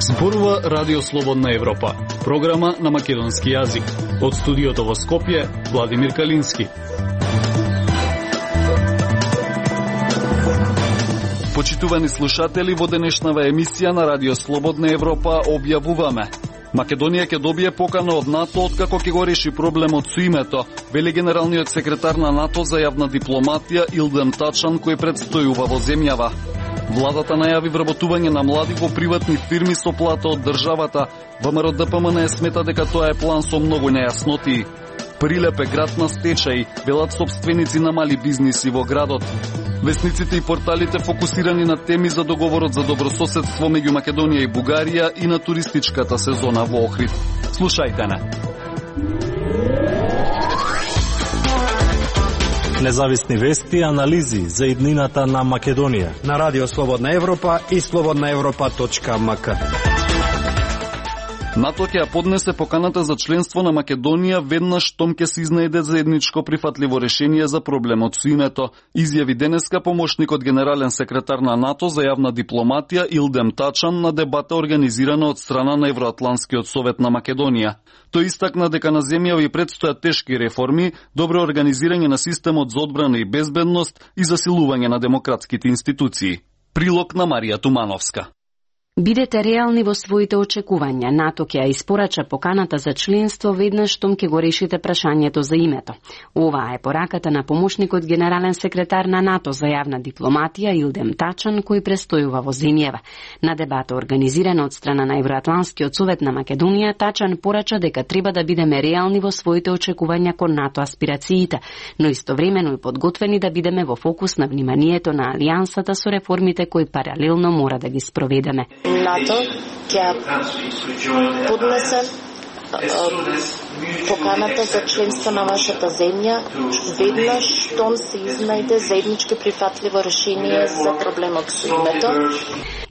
Зборува Радио Слободна Европа, програма на македонски јазик. Од студиото во Скопје, Владимир Калински. Почитувани слушатели, во денешнава емисија на Радио Слободна Европа објавуваме: Македонија ќе добие покана од НАТО откако ќе го реши проблемот со името, вели генералниот секретар на НАТО за јавна дипломатија Илдем Тачан, кој предстојува во земјава. Владата најави вработување на млади во приватни фирми со плата од државата. ВМРО ДПМН смета дека тоа е план со многу нејаснотии. Прилеп е град на стечај, велат сопственици на мали бизниси во градот. Весниците и порталите фокусирани на теми за договорот за добрососедство меѓу Македонија и Бугарија и на туристичката сезона во Охрид. Слушајте не. Независни вести и анализи за иднината на Македонија на Радио Слободна Европа и slobodnaevropa.mk. НАТО ќе ја поднесе поканата за членство на Македонија веднаш штом ќе се изнајде заедничко прифатливо решение за проблемот со името, изјави денеска помошникот генерален секретар на НАТО за јавна дипломатија Илдем Тачан на дебата организирана од страна на Евроатланскиот совет на Македонија. Тој истакна дека на земјава и предстојат тешки реформи, добро организирање на системот за одбрана и безбедност и засилување на демократските институции. Прилог на Марија Тумановска. Бидете реални во своите очекувања. НАТО ќе ја испорача поканата за членство веднаш штом ќе го решите прашањето за името. Оваа е пораката на помошникот генерален секретар на НАТО за јавна дипломатија Илдем Тачан, кој престојува во земјава. На дебата организирана од страна на Евроатланскиот совет на Македонија, Тачан порача дека треба да бидеме реални во своите очекувања кон НАТО аспирациите, но истовремено и подготвени да бидеме во фокус на вниманието на алијансата со реформите кои паралелно мора да ги спроведеме. НАТО ќе поднесе поканата за членство на вашата земја веднаш штом се изнајде заеднички прифатливо решение за проблемот со името.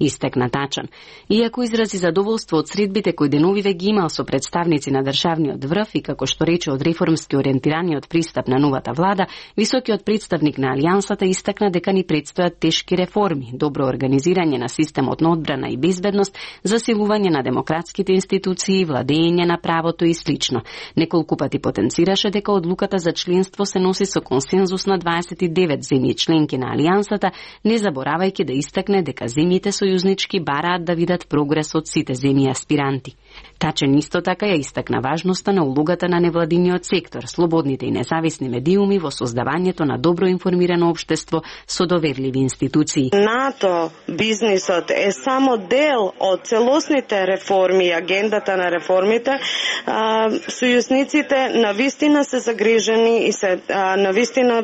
Истекна Тачан. Иако изрази задоволство од средбите кои деновиве ги имал со представници на државниот врв и како што рече од реформски ориентираниот пристап на новата влада, високиот представник на алијансата истакна дека ни предстојат тешки реформи, добро организирање на системот на одбрана и безбедност, засилување на демократските институции, владење на правото и слично. Неколку пати потенцираше дека одлуката за членство се носи со консензус на 29 земји членки на алијансата, не заборавајќи да истакне дека земјите сојузнички бараат да видат прогрес од сите земји аспиранти. Тачен исто така ја истакна важноста на улогата на невладиниот сектор, слободните и независни медиуми во создавањето на добро информирано општество со доверливи институции. НАТО бизнисот е само дел од целосните реформи и агендата на реформите. Сојузниците навистина се загрижени и се навистина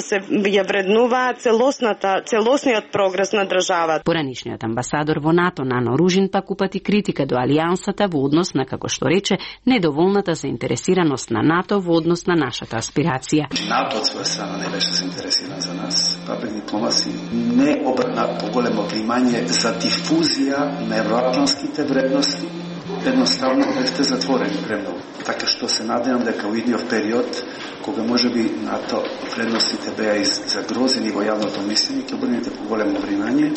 се ја вреднуваат целосниот прогрес на државата. Поранишниот амбасадор во НАТО Нано Ружин пак упати критика до алијансата во однос на, како што рече, недоволната заинтересираност на НАТО во однос на нашата аспирација. НАТО од своја страна не беше заинтересиран за нас. Папек дипломаси не обрна поголемо внимание за дифузија на евроатланските вредности. Едноставно бевте затворени премногу. Така што се надевам дека во идниот период, кога можеби НАТО вредностите беа загрозени во јавното мислење, ќе обрнете поголемо внимание.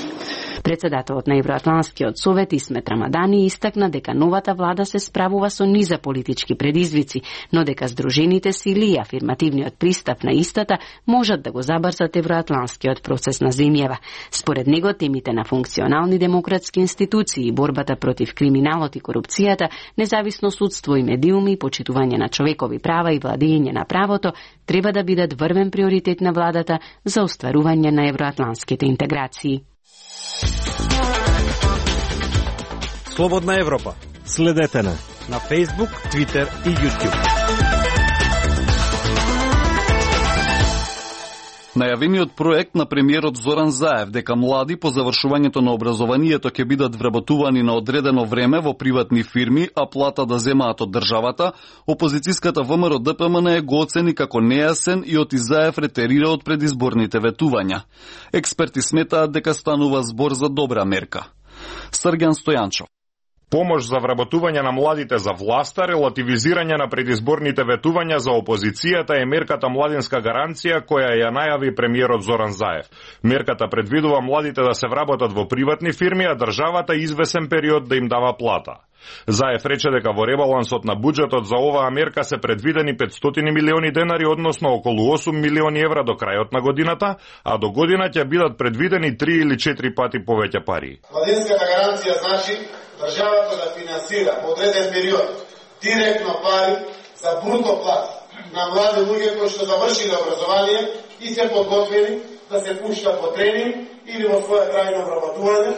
Председателот на Евроатланскиот совет Исмет Рамадани истакна дека новата влада се справува со низа политички предизвици, но дека здружените сили и афирмативниот пристап на истата можат да го забрзат евроатланскиот процес на земјава. Според него, темите на функционални демократски институции, борбата против криминалот и корупцијата, независно судство и медиуми, почитување на човекови права и владење на правото треба да бидат врвен приоритет на владата за остварување на евроатланските интеграции. Слободна Европа. Следете на Facebook, Twitter и YouTube. Најавениот проект на премиерот Зоран Заев дека млади по завршувањето на образованието ќе бидат вработувани на одредено време во приватни фирми, а плата да земаат од државата, опозицијската ВМРО ДПМН го оцени како нејасен и оти Заев ретерира од предизборните ветувања. Експерти сметаат дека станува збор за добра мерка. Срѓан Стојанчов. Помош за вработување на младите за власта, релативизирање на предизборните ветувања за опозицијата е мерката Младинска гаранција која ја најави премиерот Зоран Заев. Мерката предвидува младите да се вработат во приватни фирми, а државата извесен период да им дава плата. Заев рече дека во ребалансот на буџетот за оваа мерка се предвидени 500 милиони денари, односно околу 8 милиони евра до крајот на годината, а до година ќе бидат предвидени 3 или 4 пати повеќе пари. Младинската гаранција значи државата да финансира во одреден период директно пари за бруто плата на млади луѓе кои што завршиле образование и се подготвени да се пуштат во тренинг или во своја трајно вработување.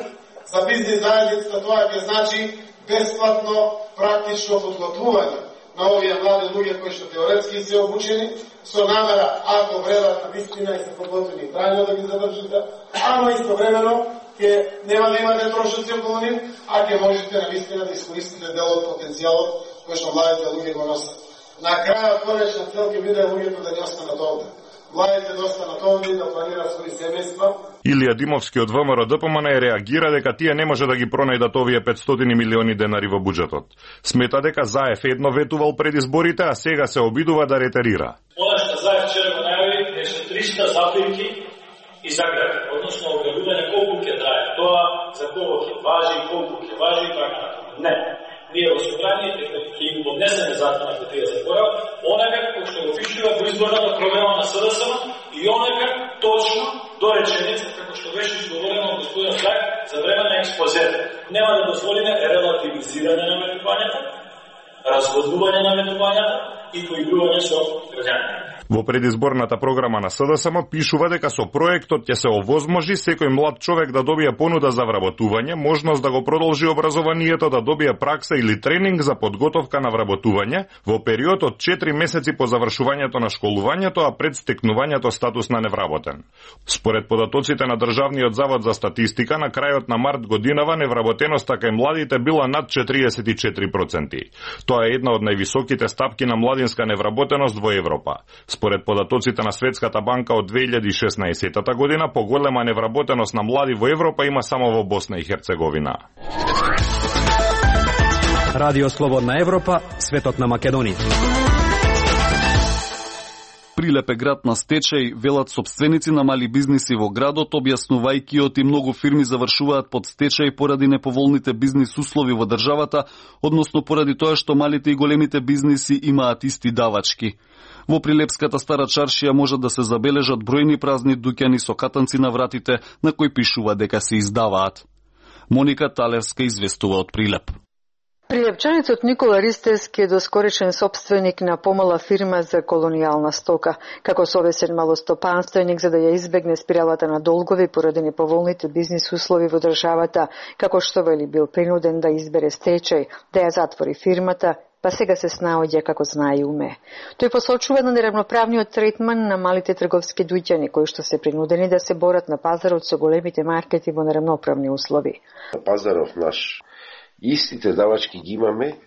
За бизнис заедницата тоа ќе значи бесплатно практично подготвување на овие млади луѓе кои што теоретски се обучени со намера, ако вредат на вистина и се подготвени трајно да ги задржите, ама истовремено ќе нема да имате трошоци околу нив, а ќе можете на вистина да искористите дел од потенцијалот кој што младите луѓе го носат. На крајот конечна цел ќе биде луѓето да не останат овде. Младите да останат овде да планираат своји семејства. Илија Димовски од ВМРО-ДПМН реагира дека тие не може да ги пронајдат овие 500 милиони денари во буџетот. Смета дека Заев едно ветувал пред изборите, а сега се обидува да ретерира. Она што Заев вчера го најави е со 300 запирки и загради, односно објавување колку ќе трае тоа, за кого ќе важи, колку ќе важи и така натаму. Не. Ние во собрание ќе им поднесеме закон ако тие заборават, онака кој што го пишува во изборната програма на СДСМ и онака точно до реченица како што беше изговорено од господин Заев за време на експозето. Нема да дозволиме релативизирање на ветувањата, разводнување на ветувањата и поигрување со граѓаните. Во предизборната програма на СДСМ пишува дека со проектот ќе се овозможи секој млад човек да добие понуда за вработување, можност да го продолжи образованието, да добие пракса или тренинг за подготовка на вработување во период од 4 месеци по завршувањето на школувањето, а пред стекнувањето статус на невработен. Според податоците на Државниот завод за статистика, на крајот на март годинава невработеноста кај младите била над 44%. Тоа е една од највисоките стапки на младинска невработеност во Европа. Според податоците на Светската банка од 2016 година, поголема невработеност на млади во Европа има само во Босна и Херцеговина. Радио Слободна Европа, светот на Македонија. Прилеп е град на стечај, велат сопственици на мали бизниси во градот, објаснувајќи оти многу фирми завршуваат под стечај поради неповолните бизнис услови во државата, односно поради тоа што малите и големите бизниси имаат исти давачки. Во Прилепската стара чаршија можат да се забележат бројни празни дуќани со катанци на вратите на кои пишува дека се издаваат. Моника Талевска известува од Прилеп. Прилепчаницот Никола Ристевски е доскоречен сопственик на помала фирма за колонијална стока. Како совесен малостопанственик за да ја избегне спиралата на долгови поради неповолните бизнис услови во државата, како што вели бил принуден да избере стечај, да ја затвори фирмата, па сега се снаоѓа како знае и уме. Тој посочува на неравноправниот третман на малите трговски дуќани кои што се принудени да се борат на пазарот со големите маркети во неравноправни услови. На пазарот наш истите давачки ги имаме,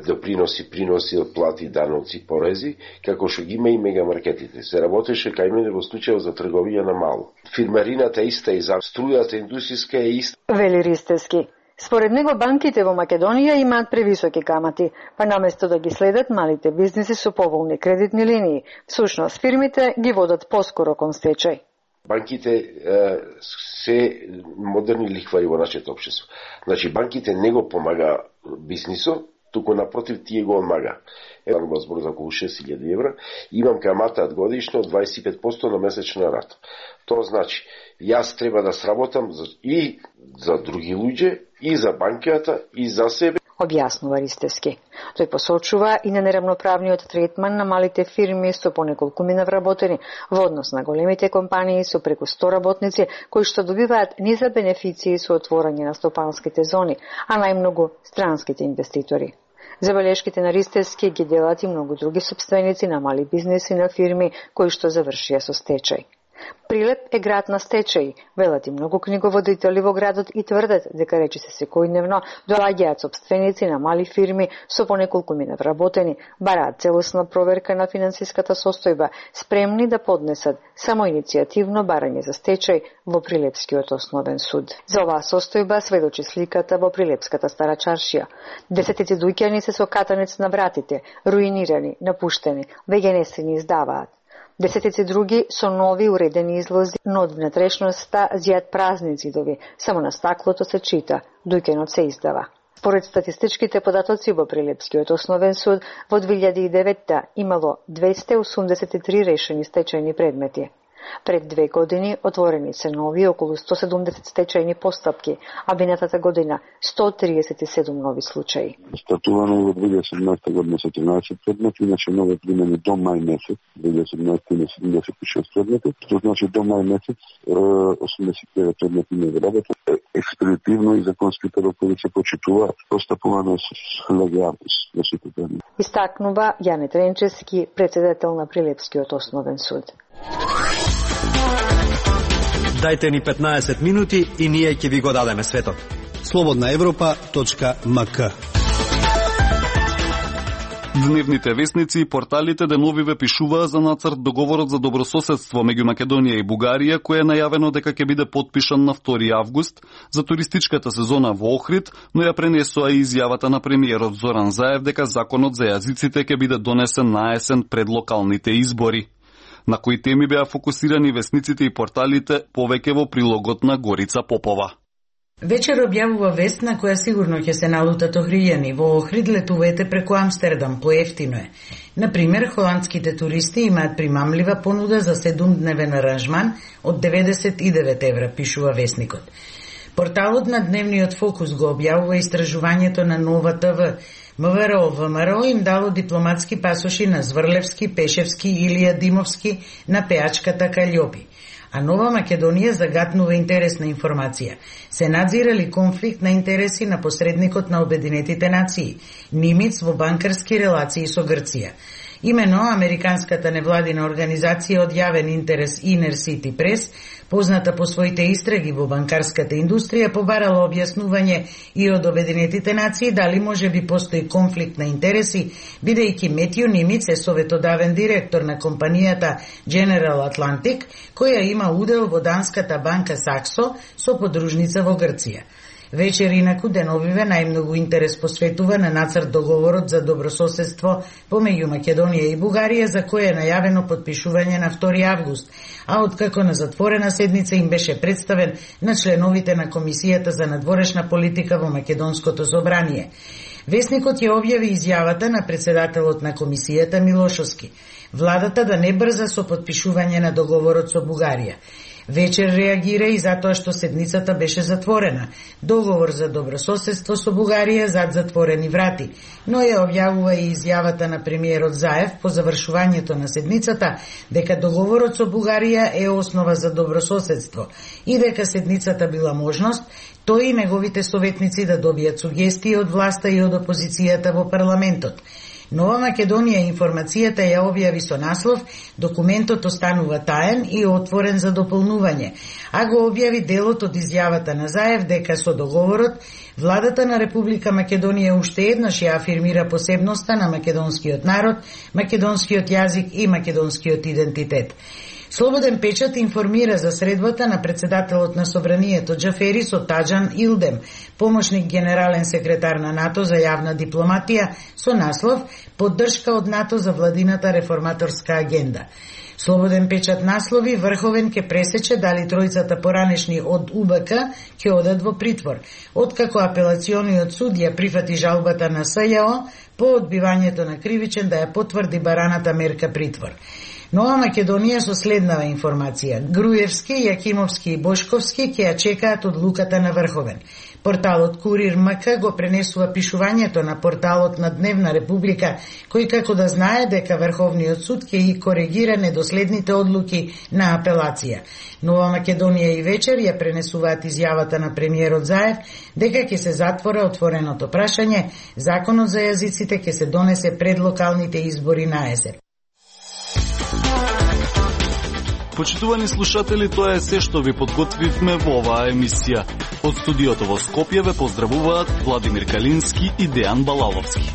доприноси, приноси од плати, даноци, порези, како што ги има и мегамаркетите. Се работеше кај мене во случај за трговија на мало. Фирмарината иста и за струјата индустријска е иста. Вели Ристевски. Според него банките во Македонија имаат превисоки камати, па наместо да ги следат малите бизниси со поволни кредитни линии, всушност фирмите ги водат поскоро кон стечај. Банките се модерни лихвари во нашето општество. Значи, банките не го помага бизнисот, туку напротив тие го одмага. Еден го збор за околу 6.000 евра, имам камата годишно 25% на месечна рата. Тоа значи, јас треба да сработам и за други луѓе, и за банката, и за себе. Објаснува Ристевски. Тој посочува и на неравноправниот третман на малите фирми со по неколкумина вработени во однос на големите компании со преку 100 работници кои што добиваат низа бенефиции со отворање на стопанските зони, а најмногу странските инвеститори. Забелешките на Ристевски ги делат и многу други сопственици на мали бизнеси на фирми кои што завршија со стечај. Прилеп е град на стечај, велат и многу книговодители во градот и тврдат дека речиси секојдневно доаѓаат сопственици на мали фирми со по неколку минат работени, бараат целосна проверка на финансиската состојба, спремни да поднесат самоиницијативно барање за стечај во Прилепскиот основен суд. За оваа состојба сведочи сликата во Прилепската стара чаршија. Десетици дуќани се со катанец на вратите, руинирани, напуштени, веќе не се ни издаваат. Десетици други со нови уредени излози, но од внатрешноста зијат празни зидови, само на стаклото се чита, дуќанот се издава. Според статистичките податоци во Прилепскиот основен суд, во 2009 имало 283 решени стечајни предмети. Пред 2 години отворени се нови околу 170 стечајни постапки, а минатата година 137 нови случаи. Стартувано во 2017 година со 13 предмети, иначе нови примени до мај месец, 2017 има 76 предмети, што значи до мај месец 89 предмети не работат. Експедитивно и законските рокови се почитува постапувано со легалност во сите предмети. Истакнува Јане Тренчевски, председател на Прилепскиот основен суд. Дајте ни 15 минути и ние ќе ви го дадеме светот. slobodnaevropa.mk. Дневните весници и порталите деновиве пишуваа за нацрт договорот за добрососедство меѓу Македонија и Бугарија, кој е најавено дека ќе биде потпишан на 2 август за туристичката сезона во Охрид, но ја пренесоа и изјавата на премиерот Зоран Заев дека законот за јазиците ќе биде донесен на есен пред локалните избори. На кои теми беа фокусирани весниците и порталите, повеќе во прилогот на Горица Попова. Вечер објавува вест на која сигурно ќе се налутат охријани. Во Охрид летувајте преку Амстердам, поевтино е. Например, холандските туристи имаат примамлива понуда за 7-дневен аранжман од 99 евра, пишува весникот. Порталот на Дневниот фокус го објавува истражувањето на Нова ТВ. МВР им дало дипломатски пасоши на Зврлевски, Пешевски, Илија Димовски на пеачката Каљопи. А Нова Македонија загатнува интересна информација. Се надзирали конфликт на интереси на посредникот на Обединетите нации, Нимиц во банкарски релации со Грција. Имено, американската невладина организација од јавен интерес Inner City Press, позната по своите истраги во банкарската индустрија, побарала објаснување и од Обединетите нации дали може би постои конфликт на интереси, бидејќи Метју Нимиц е советодавен директор на компанијата General Atlantic, која има удел во данската банка Саксо со подружница во Грција. Вечер инаку деновиве најмногу интерес посветува на нацрт договорот за добрососедство помеѓу Македонија и Бугарија, за кој е најавено потпишување на 2 август, а откако на затворена седница им беше представен на членовите на Комисијата за надворешна политика во Македонското собрание. Весникот ја објави изјавата на председателот на Комисијата Милошовски. Владата да не брза со потпишување на договорот со Бугарија. Вечер реагира и затоа што седницата беше затворена. Договор за добрососедство со Бугарија зад затворени врати, но ја објавува и изјавата на премиерот Заев по завршувањето на седницата дека договорот со Бугарија е основа за добрососедство и дека седницата била можност тој и неговите советници да добијат сугестии од власта и од опозицијата во парламентот. Нова Македонија информацијата ја објави со наслов «Документот останува таен и отворен за дополнување», а го објави делот од изјавата на Заев дека со договорот владата на Република Македонија уште еднаш ја афирмира посебноста на македонскиот народ, македонскиот јазик и македонскиот идентитет. Слободен печат информира за средбата на председателот на Собранието Џафери со Таџан Илдем, помошник генерален секретар на НАТО за јавна дипломатија, со наслов «Поддршка од НАТО за владината реформаторска агенда». Слободен печат наслови Врховен ке пресече дали тројцата поранешни од УБК ќе одат во притвор, откако апелациониот суд ја прифати жалбата на СЈО по одбивањето на кривичен да ја потврди бараната мерка притвор. Нова Македонија со следнава информација. Груевски, Јакимовски и Бошковски ќе ја чекаат одлуката на Врховен. Порталот Курир МК го пренесува пишувањето на порталот на Дневна Република, кој како да знае дека Врховниот суд ќе и коригира недоследните одлуки на апелација. Нова Македонија и вечер ја пренесуваат изјавата на премиерот Заев дека ќе се затвора отвореното прашање, законот за јазиците ќе се донесе пред локалните избори на есен. Почитувани слушатели, тоа е се што ви подготвивме во оваа емисија. Од студиото во Скопје ве поздравуваат Владимир Калински и Дејан Балаловски.